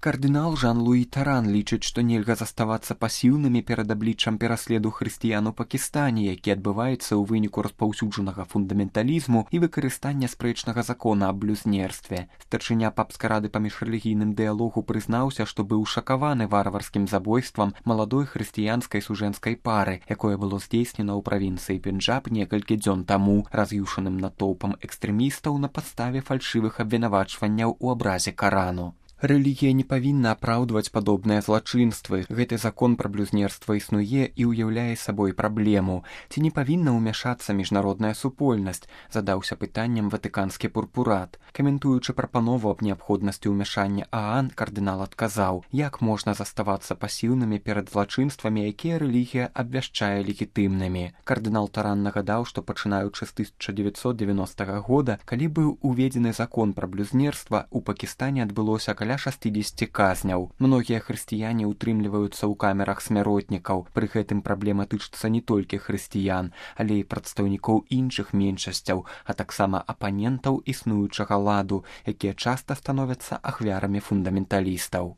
Кардынал Жан-Луі Таран лічыць, што нельга заставацца пасіўнымі перад абліччам пераследу хрысціян у Пакістане, які адбываецца ў выніку распаўсюджанага фундаменталізму і выкарыстання спрэчнага закона аб блюзнерстве. Старшыня папскай рады па міжрэлігійным дыялогу прызнаўся, што быў шакаваны варварскім забойствам маладой хрысціянскай сужэнскай пары, якое было здзейснена ў правінцыі Пенджаб некалькі дзён таму раз'юшаным натоўпам экстрэмістаў на падставе фальшывых абвінавачванняў у абразе Карану. Рэлігія не павінна апраўдваць падобныя злачынствы. Гэты закон пра блюзнерства існуе і ўяўляе сабой праблему. Ці не павінна ўмяшацца міжнародная супольнасць, задаўся пытаннем ватыканскі пурпурат. Каментуючы прапанову аб неабходнасці ўмяшання ААН, кардынал адказаў, як можна заставацца пасіўнымі перад злачынствамі, якія рэлігія абвяшчае легітымнымі. Кардынал Таран нагадаў, што пачынаючы з 1990 года, калі быў уведзены закон пра блюзнерства, у Пакістане адбылося каля 60 казняў. Многія хрысціяне ўтрымліваюцца ў камерах смяротнікаў. Пры гэтым праблема тычыцца не толькі хрысціян, але і прадстаўнікоў іншых меншасцяў, а таксама апанентаў існуючага ладу, якія часта становяцца ахвярамі фундаменталістаў.